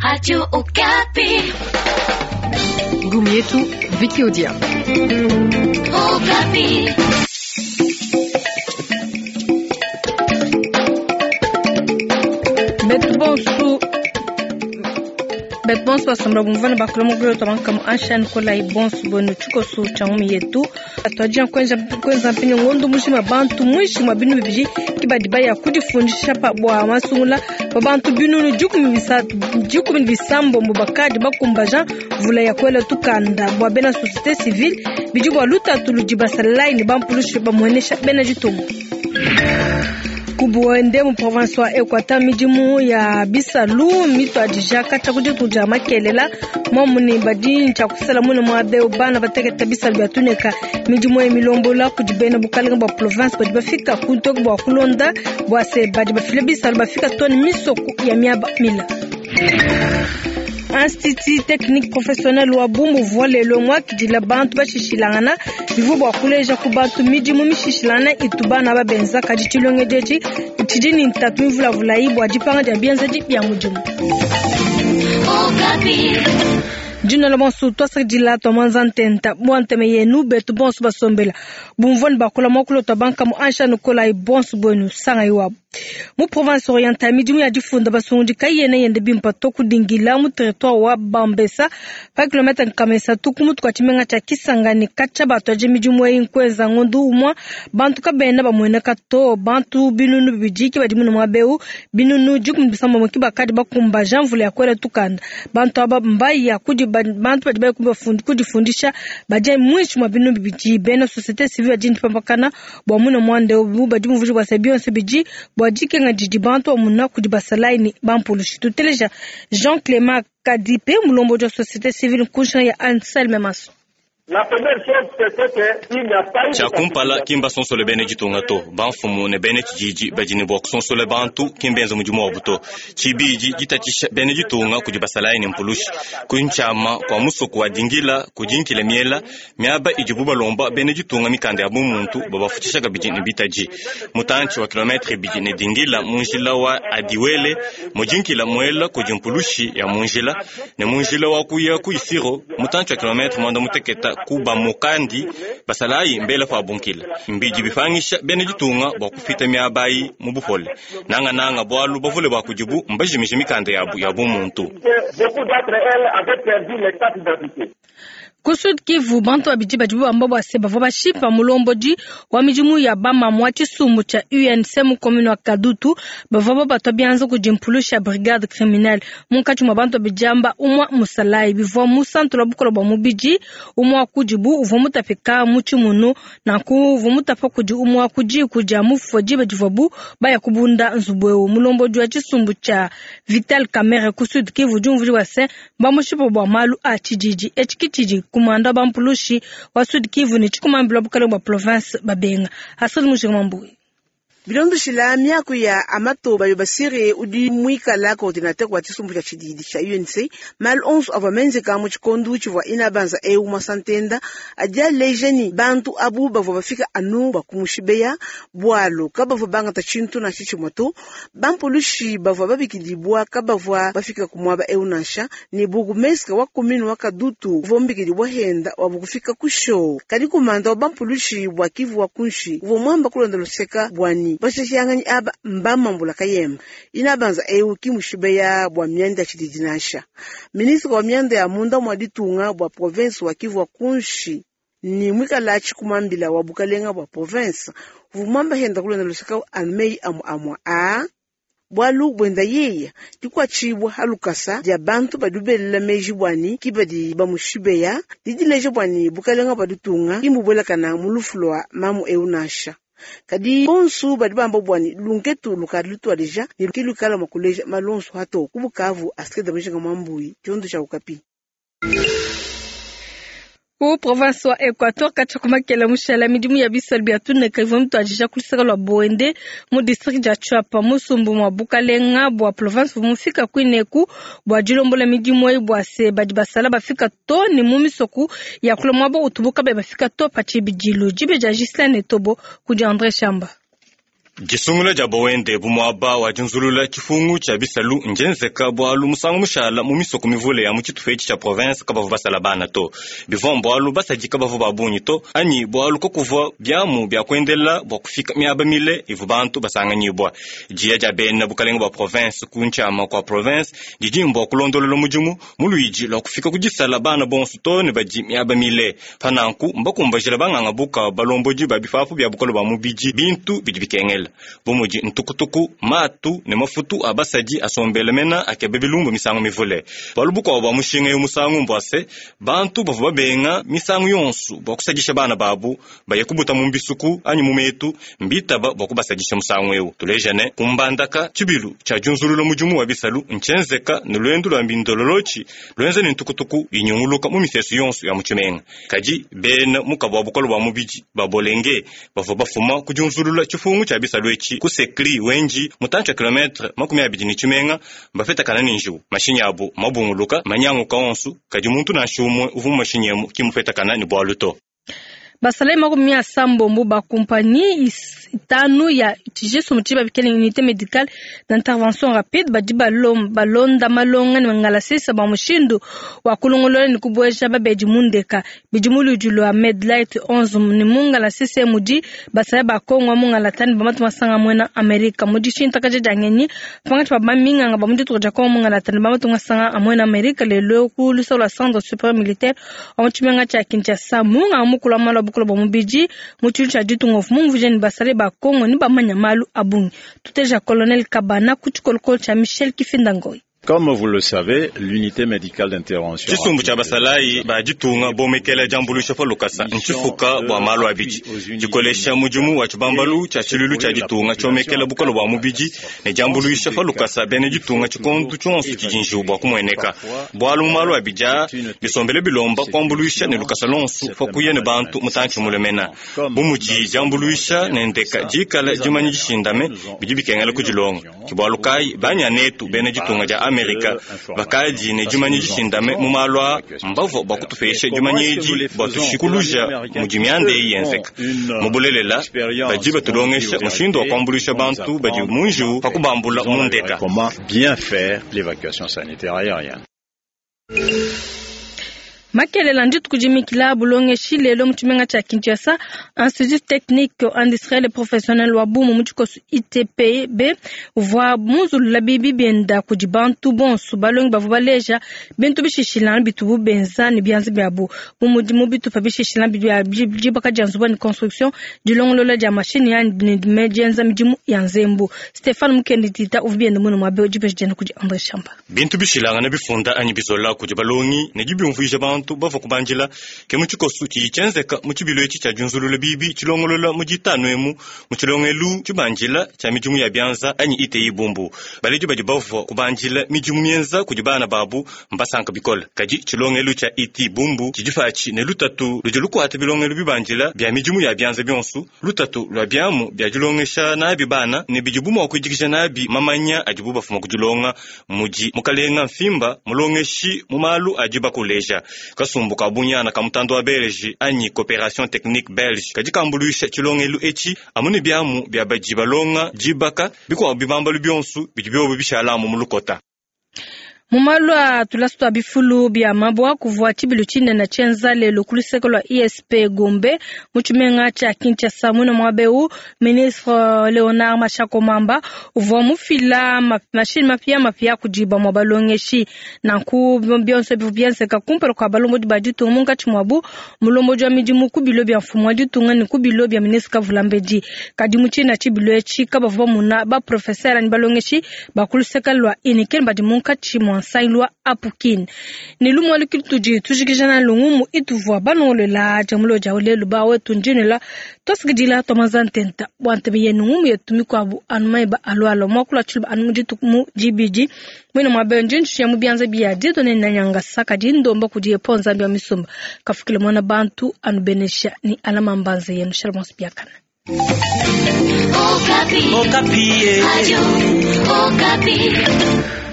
Radio Okapi. Ngumi yetu Vicky Odia. Okapi. Betu bonsu betu bonsu basomba bumvana bakula mugolo twabankamu anshan kolai bonsu bonu tshikosu tshia ngumi yetu atwadija kwenza kwenza mpinyo ngondo mushima bantu mwishi mwa binu bibiji kibadi baya kudifundisha pa bwa masungula pa bantu binunu dikumi bisambombo bakadi bakumbaja mvula ya kwela tukanda bwa bena société civile bidi bwa lutatu ludi basalai ne bampulushi bamuenesha bena ditunga kubuende mu province wa Equateur midimu ya bisalu mitwadija katshia ku ditu dia makelela momuni badi ntshia kusala mune muaba eu bana bateketa bisalu bia tuneka midimu ya milombola kudi bena bukalenga bua province badi bafika kuntoke bua kulonda bua se badi bafile bisalu bafika toni misoko ya miaba mila. Institut technique professionnel wa Bumbu uvua lelo muakidila bantu bashishilangana bivua bua kuleja ku bantu midimu mishishilangana itu bana babenza kadi tshilongedi etshi tshidi ne ntatu mivulavulayi bua dipanga dia bienzedi bia mudimu. Okapi. Dina la bonso twasakidila twa mwanza ntenta bua nteme yenu betu bonso basombela bumvua ne bakula muakulu twa banka mu ansha nukolayi bonso buenu sangayi wabu mu province orientale midimu ya difunda basungudi kayiyena yende bimpa to kudingila mu territoire wa Bambesa pa kilomètre nkama isatu ku mutu kua tshimenga tshia Kisangani katshia batuadija midimu eyi nkuenza ngondu umua bantu kabena bamueneka to bantu binunu bibidi ke badi mune muaba eu binunu dikumi bisambombo ke bakadi bakumbaja mvula ya kuela tukanda bantu aba mbaya kudi bantu badi baya kudifundisha badi muinshi mua binunu bibidi bena société civile badi ndipampakana bua mune muanda eu badi mumvuija bua se bionso bidi bua dikenga didi bantu bamuna kudi basalayi ne bampulushi. Tuteleja Jean Clément Kadipe mulombodi wa société civile nkunshinga ya Anselme Maso. Tshia kumpala ki mbasonsole bena ditunga to, bamfumu ne bena tshididi badi ne bua kusonsola bantu ki mbenze mudimu wabu to. Tshibidi ditatshisha bena ditunga kudi basalayi ne mpulushi ku ntshiama kua musoko wa dingila kudi nkila miela miaba idibu balomba bena ditunga mikanda ya bumuntu babafutshisha kabidi ne bitadi mutantshi wa kilometre ibidi ne dingila mu njila wa adiwele mudinkila muela kudi mpulushi ya mu njila ne mu njila wa kuya ku isiro mutantshi wa kilometre mwanda muteketa ku bamukandi basalayi mbela pa bunkila mbidi bipangisha bena ditunga bua kupita miaba ayi mu bupole nangananga bualu bavule bua kudibu mbajimije mikanda yabu ya bumuntu. Ku Sud Kivu bantu babidi badibu bamba bua se bavua bashipa mulombodi wa midimu ya bamamu wa tshisumbu tshia UNC mu commune wa Kadutu bavua babatua bianza kudi mpulushi ya brigade criminelle munkatshi mua bantu babidi amba umua musalayi bivua mu santu lua bukola bua mubidi umua wa kudibu uvua mutapika mu tshimunu nanku uvua mutapa kudi umua wa ku diku dia mufua diba divuabu baya kubunda nzubu eu mulombodi wa tshisumbu tshia Vital Kamerhe ku Sud Kivu udi umvuija bua se bamushipa bua malu a tshididi etshi ke tshidi kumanda bampulushi wa Sud Kivu ne tshikumambila bukalenge bua province babenga Asad Mujinga Mambuyi. Bilondeshila miaku ya Amato Bayobasire udi muikala coordinateur wa tshisumbu tshia tshididi tshia UNC malu onso avua menzeka mu tshikondo tshivua inabanza eu mwasantenda adi aleja ni bantu abu bavua bafika anu bakumushibeya bualu kabavua bangata tshintu nansha tshimue to bampulushi bavua babikidibwa kabavua bafika ku muaba eu nansha ni burgomestre wa commune wa Kadutu uvua mubikidibwa henda wabu kufika ku show kadi kumanda wa bampulushi bua Kivu wa kunshi uvua muamba kulonda luseka bwani bashashanganyi aba mbamambula kayemba inabanza eu kimushibeya bua mianda ya tshididi nansha ministre wa mianda ya munda mwa ditunga bua province wa Kivu wa kunshi ni mwikala tshikumambila wa bukalenga bua province uvua henda kulonda luseka anu amu amua a bualu buenda yeya dikuatshibua halukasa dia bantu badi belela meji bwani ki badi bamushibeya didileja bwani bukalenga bua ditunga kimbubuelakana mu lufu lua mamu eu nansha kadi bonsu badi bamba bwani lunketu lukadi lutuadija ne ki lukala mua kuleja malonso hato ku Bukavu Astrid Mujinga Mwambuyi tshiondo tshia Okapi. Ku province wa Equateur katshia kumakela mushala midimu ya bisalu bia tuneka ivua mituadija ku luseke lua Boende mu district dia Tshuapa musumbu mua bukalenga bua province uvua mufika kuineku bua dilombola midimu eyi bua se badi basala bafika to ne mu misoku ya kula muaba utubu kabayi bafika to pa tshibidilu. Dibe dia Ghislaine Tobo kudi Andre Shamba. Disungula dia Boende bu muaba wa dinzulula tshifungu tshia bisalu ndienzeka bualu musangu mushala mu misoko mivule ya mu tshitupa etshi tshia province kabavua basala bana to. Bivua mbualu basadi kabavua ba bungi to, anyi bualu kakuvua biamu bia kuendela bua kufika miaba mile ivua bantu basanganyibua. Diya dia bena bukalenga bua province ku ntshiama kua province didi mbua kulondolola mudimu mu luidi lua kufika ku disala bana bonso to ne badi miaba mile. Pa nanku mbakumbajila banganga buka balombodi ba bipapu bia bukole bua mubidi bintu bidi bikengela bu mudi ntukutuku, matu ne mafutu a basadi asombela mena akeba bilumbu misangu mivule. Bualu bukuabu bua mushinga eu musangu mbua se, bantu bavua babenga misangu yonso bua kusadisha bana babu baye kubuta mu mbisuku anyi mu metu mbitaba bua kubasadisha musangu eu. Tuleja ne kumbandaka tshibilu tshia diunzulula mudimu wa bisalu ntshienzeka ne luendu lua mbindololotshi luenza ne ntukutuku inyunguluka mu misesu yonso ya mu tshimenga. Kadi bena mukabu wa bukole bua mubidi ba Bolenge bavua bafuma ku diunzulula tshifungu tshia bisalu etshi ku Sekri Wenji mutantshi wa kilometre 20 ne tshimenga mbafetakana ne njiwu. Mashinyi abu mabunguluka manyanguka onso, kadi muntu nansha umue uvua mu mashinyi emu ki mufetakana ne bualu to. Basalayi 80 ba kumpanyi 5 ya tshijesu tshiba bikele unité médicale d'intervention rapide badi balonda malonga ne ngalasisa ba mushindu wa kulongolola ne kubueja babedi mundeka bidi mu ludi lua Medlight 11 ne mungalasisa mudi basalayi ba Kongo mungalatani ba matu masanga mwena Amerika mudi shintakaja dia ngenyi pankatshi pa baminganga ba mu ditunga dia Kongo mungalatani ba matu masanga a mwena Amerika lelo ku luseke lua centre supérieur militaire wa mu tshimenga tshia Kinshasa munganga mukulu wa malu a bukole bua mubidi mu tshintu tshia ditunga mumvuje ne basalayi ba Kongo ne bamanya malu a bungi. Tuteja Colonel Kabana ku tshikolokolo tshia Michel Kifinda Ngoyi. Comme vous le savez, l'unité médicale d'intervention Tshisumbu tshia basalayi ba ditunga bomekela diambuluisha pa lukasa ntshifuka bua malu abidi dikolesha mudimu wa tshibambalu tshia tshiluilu tshia ditunga tshiomekela bukole bua mubidi ne diambuluisha pa lukasa bena ditunga tshikondu tshionso tshidi njiwu bua kumueneka bualu mu malu abidi aa bisombele bilomba kuambuluisha ne lukasa lonso pa kuya ne bantu mutantshi mulemena bu mudi diambuluisha ne ndeka dikala dimanya dishindame bidi bikengela kudilonga ke bualu kayi banyanetu bena ditunga dia Amerika bakadi ne dimanya dishindame mu malu aa mbavua bua kutupesha dimanya edi bua tushikuluja mudi mianda eyi yenzeka. Mu bulelela badi batulongesha mushindu wa kuambuluisha bantu badi mu njiwu pa kubambula mu ndeka. Comment bien faire l'évacuation sanitaire aérienne. Makelela ndituku dimikila bulongeshi lelo mu tshimenga tshia Kinshasa, Institut Technique Industriel et Professionnel wa Bumu mu tshikoso ITPB uvua munzulula bibi bienda kudi bantu bonso balongi bavua baleja bintu bishishilana bitubu benza ne bianza biabu bu mudi mu bitupa bishishilana bia dibaka dia nzubu ne construction, dilongolola dia mashini ya ne dienza midimu ya nzembu. Stéphane Mukendi Tita uvua bienda muno muabe dipesha dienda kudi André Chamba. Bintu bishilangana bifunda anyi bizola kudi balongi ne dibiumvuija bantu bavua kubandila ke mu tshikoso tshidi tshienzeka mu tshibilu etshi tshia diunzulula bibi tshilongolola mu ditanu emu mu tshilongelu tshibandila tshia midimu ya bianza anyi ITI Bumbu. Baledi badi bavua kubandila midimu mienza kudi bana babu mbasanka bikole, kadi tshilongelu tshia ITI Bumbu tshidi patshi ne lutatu ludi lukuata bilongelu bibandila bia midimu ya bianza bionso, lutatu lua biamu bia dilongesha nabi bana ne bidibu mua kuidikija nabi mamanya adibu bafuma kudilonga mudi mukalenga mfimba mulongeshi mu malu adi bakuleja. Kasumbu ka bunyana ka mutando wa belge anyi coopération technique belge kadi kambuluisha tshilongelu etshi amu ne biamu bia badi balonga dibaka bikuabu bibambalu bionso bidi biobo bishalamu mu lukota. Mu malu a tulasu tua bifulu bia mabua kuvua tshibilu tshinene tshienza lelo ku luseke lua ISP Gombe mu tshimenga tshia Kinshasa. Muine muaba eu ministre Leonard Mashako Mamba uvua mufila mashini mapia mapia kudi bamue balongeshi. Nanku bionso bivua bienzeka kumpala kua balombodi ba ditunga munkatshi muabu mulombodi wa midimu ku bilo bia mfumu wa ditunga ne ku bilo bia ministre Kavulambedi. Kadi mu tshina tshibilu etshi kabavua bamuna ba professeur ne balongeshi ba ku luseke lua Unikin badi munkatshi mua nsangilu wa Apukin. Ne lumue lukitudi tujikija na lungumu ituvua balongolola jamulo dia lelu ba wetu ndinela tosikidila tomaza ntenta bua ntebe yenu ngumu yetu mikuabu anu maiba alualua muakulu atshiluba anu mu mu dibidi mwine muabe ndintshiya mu bianza bia dito ne nanyanga saka dindomba kudi yepo nzambi wa misumba kafukile mwana bantu anu benesha ni alama mbanze yenu. Shalom biakana. Okapi. Okapi. Radio Okapi.